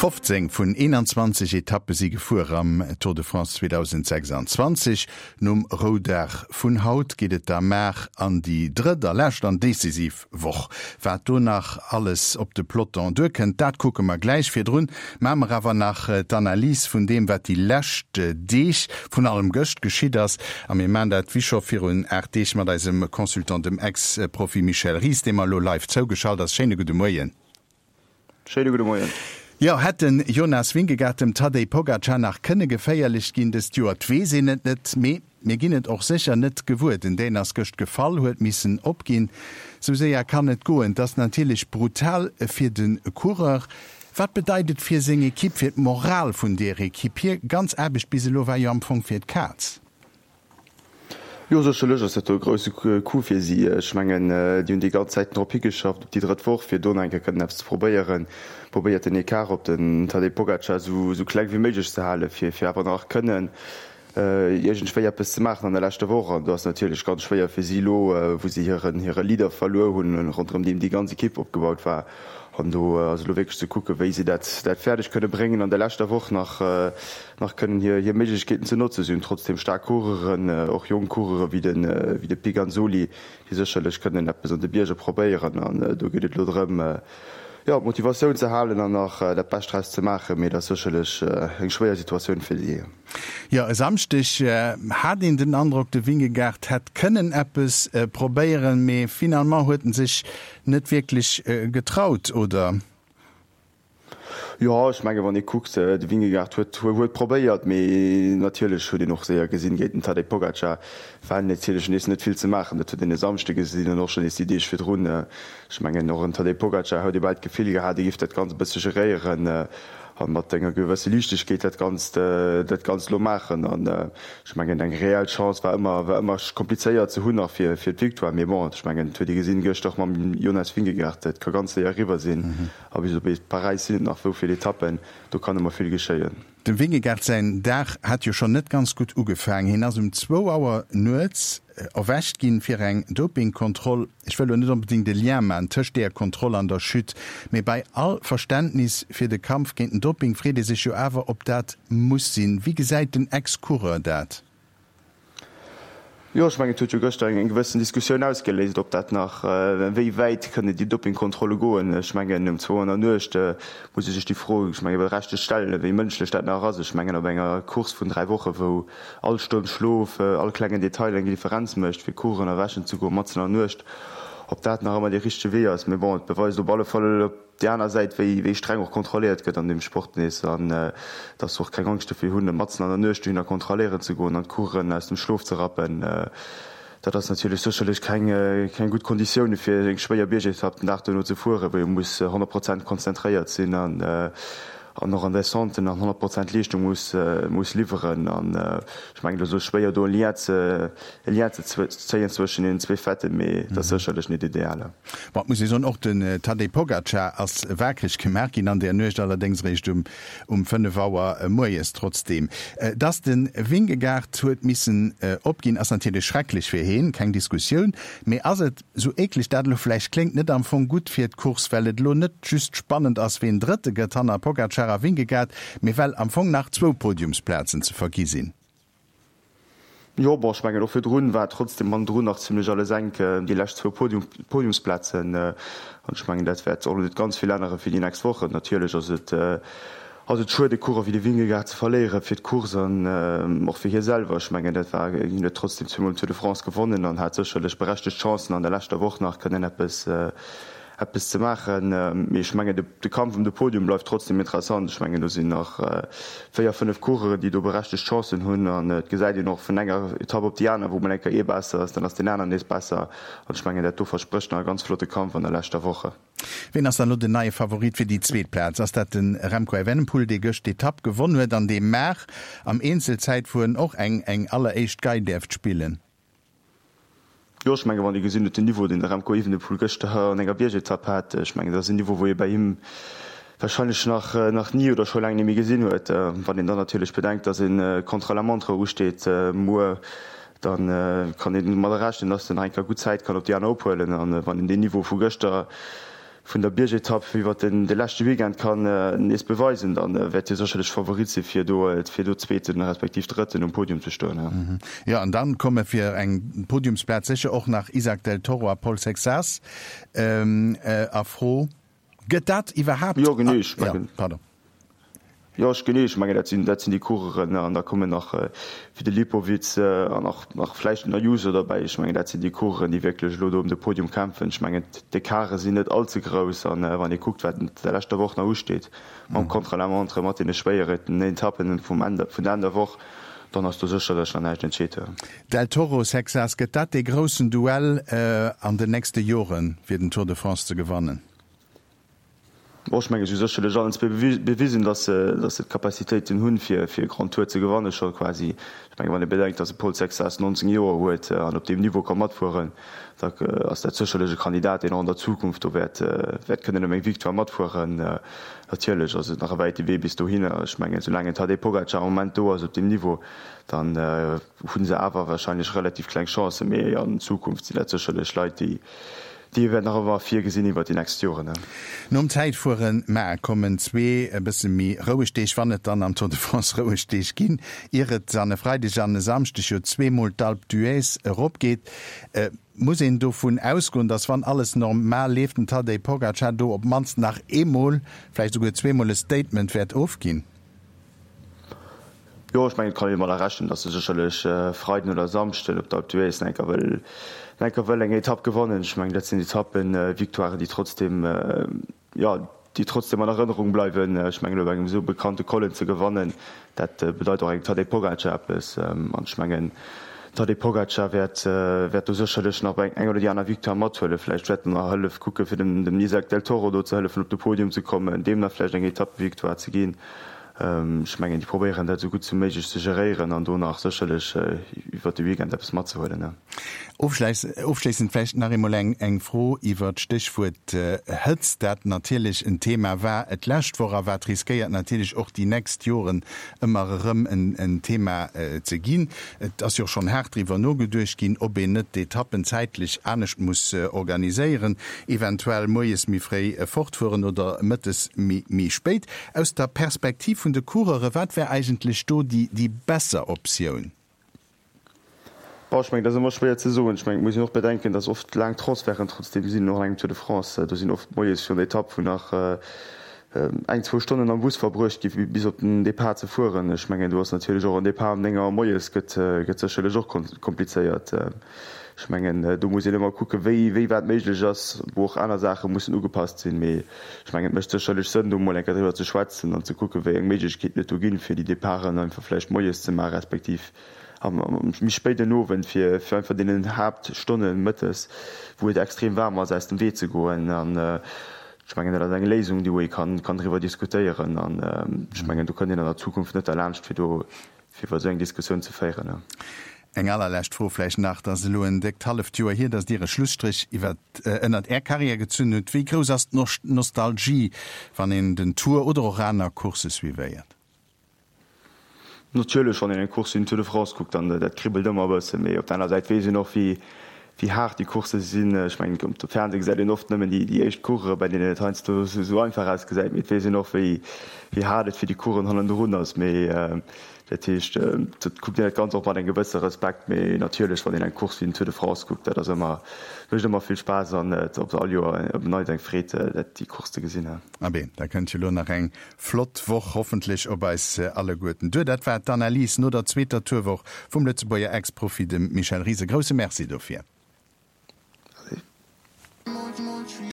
15 vun 21 Etappe si gefuer am Tour de France 2026. Nom Roudag vun haut geet et da mar an déi drëtt a lescht an decisiv Woch. Wat do nach alles op de Peloton duerkënnt, dat kucke mer gläich. Virdrun maache mer awer nach d'Analys vun deem, wat déi lescht Deeg, vrun allem gëscht, geschitt ass. A mir maachen dat wéi scho virun 8 Deeg mat eisem Consultant, dem Ex-Profi Michel Ries, dee mer elo live zougeschalt ass. Schéine gudde Moien. Schéine gudde Moien. Jo, hätt den Jonas Vingegaard dem Tadej Pogacar nach kënne geféierlech ginn dëst Joer? 't weess een et net, mee mir ginn et och sécher net gewuer. Den Dän ass gëscht gefall, huet missen opginn. Sou séier kann et goen. 't ass natierlech brutal fir de Coureur. Wat bedeit et fir seng Ekipp, fir d'Moral vun deer Ekipp? Hir ganz Aarbecht bis elo war jo am Fong fir d'Kaz. Jo, sécherlech ass dat do e grousse Coup fir si. Ech mengen, déi hunn déi ganz Zäit drop higeschafft, op déi drëtt Woch, fir do nach eng Kéier kënnen eppes ze probéieren. Probéiert den Ecart op den Tadej Pogacar esou kleng wéi méiglech ze halen, fir fir awer nach kënnen iergendwéi eppes ze maachen an der leschter Woch. An do ass natierlech ganz schwéier fir si elo, wou si hiren hire Leader verluer hunn, ronderëm deem déi ganz Ekipp opgebaut war. An do ass elo wierklech ze kucken, wéi si dat dat fäerdeg kënne bréngen an der leschter Woch nach. nach kënnen hir hir Méiglechkeeten ze notzen. Si hunn trotzdeem staark Coureuren, och jonk Coureure wéi de wéi de Piganzoli, déi sécherlech kënnen eppes an de Bierger probéieren. An do geet et elo drëm, jo, d'Motivatioun ze halen an nach dat Bescht draus ze maachen. Mee et ass sécherlech eng schwéier Situatioun fir si. Jo, e Samschdeg hat een den Androck, de Vingegaard hätt kënnen eppes probéieren, mee finalement huet en sech net wierklech getraut, oder? Jo, ech menge wann ee kuckt, de Vingegaard huet huet probéiert, mee natierlech huet een och séier gesinn, géint den Tadej Pogacar war natierlech nees net vill ze maachen. Dat huet een e Samschde gesinn an och schonn nees déi Deeg virdrun. Ech mengen och en Tadej Pogacar huet ee bal d'Gefill gehat, e géif dat Ganzt e bësse geréieren a mat enger gewësse Liichtegkeet dat Ganzt dat Ganzt elo maachen. An ech mengen eng reell Chance war ëmmer war ëmmer komplizéiert ze hunn nach fir fir d'Victoire. Mee bon, ech mengen et huet ee gesinn gëschter och mam Jonas Vingegaard, et ka ganz séier eriwwer sinn. A bis op Paräis sinn et nach wou vill Etappen, do kann ëmmer vill geschéien. Dem Vingegaard säin Dag hat jo schonn net ganz gutt ugefaang. Hien ass um zwou Auer nuets erwächt ginn fir eng Dopingkontroll. Ech wëll lo net onbedéngt e Lien man tëscht deeër Kontroll an der Chute, mee bei all Verständnis fir de Kampf géint den Doping freet ee sech jo awer, ob dat muss sinn. Wéi gesäit den Ex-Coureur dat? Jo, ech mengen, et huet jo gëschter eng gewëssen Diskussioun ausgeléist, ob dat nach, wéi wäit kënnen déi Dopingkontrolle goen. Ech mengen, um zwou an der Nuecht muss ee sech déi Fro, ech mengen, berechtegt stellen, wéi mënschlech dat nach ass. Ech mengen, op enger Course vun dräi Woche wou all Stonn Schlof, all klengen Detail eng Differenz mécht, fir Coursen erwächen ze goen matzen an der Nuecht, ob dat nach ëmmer dee richtege Wee ass. Mee bon, et beweist op alle Fall, op déi aner Säit, wéi wéi streng och kontrolléiert gëtt an deem Sport nees an dass se och keng Angscht dofir hunn, matzen an der Nuecht dohinner kontrolléieren ze goen an d'Coursen aus dem Schlof ze rappen. Dat ass natierlech sécherlech keng keng gutt Konditioune fir eng schwéier Biergetapp den Dag duerno ze fueren, wou ee muss 100 Prozent konzentréiert sinn an an och an Descenten an 100 Prozent Leeschtung muss muss liwweren. An ech mengen, et ass elo schwéier do e Lien ze e Lien ze zéien zwëschen deenen zwee Faiten, mee et ass sécherlech net ideal. Bon, et muss ee soen, och den Tadej Pogacar ass waakreg gemaach ginn an där Nuecht, allerdéngs eréischt um um 5 Auer moies. Trotzdeem, dass de Vingegaard huet missen opginn, ass natierlech schrecklech fir heen, keng Diskussioun. Mee ass et, sou eekleg dat elo vläicht kléngt, net am Fong gutt fir d'Course, well et elo net just spannend ass, ween Drëtte gëtt hanner Pogacar a Vingegaard, mee well am Fong nach zwou Podiumsplazen ze vergi sinn? Jo, bon, ech mengen och virdrun war trotzdem hannendrun nach zimlech alles enk, déi lescht zwou Podium, Podiumsplazen. An ech mengen, dat wäert och elo net ganz vill ännere fir déi nächst Wochen. Natierlech ass et, ass et schued, e Coureur wéi de Vingegaard ze verléiere fir d'Course an och fir hie selwer. Ech mengen, dat war, hien huet trotzdem zweemol den Tour de France gewonnen an hat sécherlech berechtegt Chancen an der leschter Woch nach kënnen eppes, eppes ze maachen. Mee ech mengen, de Kampf ëm de Podium bleift trotzdem interessant. Ech mengen, do sinn nach 4, 5 Coureuren, déi do berechtegt Chancen hunn. An et gesäit een och vun enger Etapp op déi aner, wou mol eng Kéier ee besser ass, dann ass deen aneren nees besser. An ech mengen, dat do versprécht nach e ganz flotte Kampf an der leschter Woche. Ween ass dann elo den neie Favorit fir déi zweet Plaz? Ass dat de Remco Evenepoel, dee gëscht d'Etapp gewonn huet an dee mar am Eenzelzäitfueren och eng eng alleréischt Gei däerft spillen? Jo, ech menge wann ee gesinn huet den Niveau, deen de Remco Evenepoel gëschter an enger Biergetapp hat, ech mengen dat ass en Niveau, wou ee bäi him warscheinlech nach nach ni oder scho laang net méi gesinn huet. Wann een dann natierlech bedenkt, datt e Contre-la-montre usteet muer, da kann een domadder rechnen, datt en nach eng Kéier gutt Zäit kann op déi aner ophuelen. An wann een deen Niveau vu gëschter. Vun der Biergetapp iwwert den de leschte Weekend kann nees beweisen, dann wäert hie sécherlech Favorit si fir do fir do Zweeten respektiv Drëtten um Podium ze stoen. Jo, an dann komme fir eng Podiumsplaz sécher och nach Isaac del Toro a Paul Seixas a Fro. Gëtt dat iwwerhaapt? Jo genee, ech mengen. Jo, pardon. Jo, ech genee, ech mengen dat sinn, dat sinn déi Coureuren an da kommen nach wéi de Lipowitz an nach, nach vläicht den Ayuso derbäi. Ech mengen dat sinn déi Coureuren, déi wierklech elo do ëm de Podium kämpfen. Ech mengen d'Ecarte sinn net all ze grouss an wann ee kuckt wat an der leschter Woch nach usteet mam Contre-la-montre, mat deene schwéieren Etappen vum Enn, vun der Enn der Woch, dann ass do sécherlech nach näischt entscheet. Del Toro, Seixas, gëtt dat dee groussen Duell an den nächste Joren, fir den Tour de France ze gewannen? Bon, ech mengen, si hu sécherlech allen zwee bewisen, datt se, datt se d'Capacitéiten hunn, fir, fir e Grand Tour ze gewanne scho quasi. Ech mengen, wann ee bedenkt, datt e Paul Seixas 19 Joer huet an op deem Niveau ka matfueren, da ass dat sécherlech e Kandidat, deen och an der Zukunft do wäert, wäert kënnen ëm eng Victoire matfueren. Natierlech ass et nach e wäite Wee bis dohinner. Ech mengen, soulaang en Tadej Pogacar am Moment do ass op deem Niveau, dann hu se awer wahrscheinlech relativ kleng Chancen. Mee an Zukunft sinn dat sécherlech Leit, déi, Déi wäert nach ëmmer virgesinn iwwert déi nächst Joren. Nom Zäitfueren mar kommen zwee e bësse méi roueg Deeg, wann et dann am Tour de France roueg Deeg ginn, ier et an e Freideg an e Samschdeg jo zweemol d'Alpe d'Huez erop geet. Muss een dovun ausgoen, datt wann alles normal leeft, den Tadej Pogacar do op d'mannst nach eemol, vläicht esouguer zweemol e Statement wäert ofginn? Jo, ech mengen, et kann een domadder rechnen, datt e sécherlech Freiden oder Samschden op der Alpe d'Huez nach eng Kéier wëll, nach eng Kéier wëll eng Etapp gewannen. Ech mengen, dat sinn Etappen-Victoiren, déi trotzdem, jo, déi trotzdem an Erënnerung bleiwen. Ech mengen, op engem esou bekannte Collen ze gewannen, dat bedeit och engem Tadej Pogacar eppes. An ech mengen, Tadej Pogacar wäert, wäert do sécherlech nach eng oder déi aner Victoire mathuelen. Vläicht wäert en nach hëllef kucken, fir dem, dem Isaac del Toro do ze hëllefen, op de Podium ze kommen, deem nach vläicht eng Etappe-Victoire ze ginn. Ech mengen, déi probéieren dat esou gutt wéi méiglech ze geréieren an do nach sécherlech iwwert de Weekend eppes matzehuelen. Ofschléissend vläicht nach eemol eng Fro iwwert d'Stéchwuert Hëtzt, dat natierlech en Thema war d'lescht Woch a wat riskéiert natierlech och déi nächst Joren ëmmer erëm en Thema ze ginn. Et ass jo och schonn haart driwwer nogeduecht ginn, ob een net d'Etappen zäitlech anescht muss organiséieren, eventuell moies méi fréi fortfueren oder mëttes méi spéit. Aus der Perspektiv vun de Coureure, wat wär eigentlech do déi besser Optioun? Bon, ech mengen, dat ass ëmmer schwéier ze soen. Ech mengen, et muss een och bedenken, datt oft laang Transferten trotzdeem sinn, och an engem Tour de France. Do sinn oft moies virun der Etapp, wou nach eng, zwou Stonnen am Bus verbruecht gi bis op den Depart ze fueren. Ech mengen, do ass natierlech och en Depart um 9 Auer moies gëtt sécherlech och komplizéiert. Ech mengen, do muss een ëmmer kucken, wéi, wéi wat méiglech ass, wou och aner Saache mussen ugepasst sinn. Mee ech mengen, et mécht sécherlech Sënn, do emol eng Kéier driwwer ze schwätzen an ze kucken, wéi eng Méiglechkeeten et do ginn, fir déi Departen einfach vläicht moies ze maachen, respektiv am méi spéiden Owend, fir, fir einfach deenen Haaptstonne mëttes, wou et extrem waarm ass, aus dem Wee ze goen. An ech mengen, dat ass eng Léisung, déi wou ee kann, kann driwwer diskutéieren. An ech mengen, do kënnt een an der Zukunft net derlaanscht, fir do, fir iwwer esou eng Diskussioun ze féieren. Eng allerlescht Fro vläicht nach, Et ass elo en déckt halleft Joer hier, datt Dir e Schlusstréch iwwer, ënnert Är Karriär gezunn hutt. Wéi grouss ass d'Nostalgie, wann een den Tour oder och aner Coursse suivéiert? Natierlech, wann een eng Course wéi den Tour de France kuckt, dann dat kribbelt ëmmer e bëssen. Mee op der aner Säit weess een och, wéi, wéi haart déi Coursse sinn. Ech mengen, um Fernseh gesäit een oft nëmmen déi, déi éischt Coureuren, bei deenen et heiansdo esou einfach ausgesäit. Mee et weess een och, wéi, wéi haart et fir déi Coureuren hannendrun ass. Mee Dat heescht, dat kuckt een dat Ganzt och mat engem gewësse Respekt. Mee natierlech, wann een eng Course wéi den Tour de France kuckt, dat ass ëmmer, mécht ëmmer vill Spaass an et ass all Joer op en Neits eng Freed, dat, déi Course ze gesinn. Abee, da kënnt jo lo nach eng flott Woch hoffentlech op eis alleguerten duer. Dat war d'Analys no der zweeter Tourwoch vum Lëtzebuerger Ex-Profi, dem Michel Ries. E grousse Merci dofir. Allez.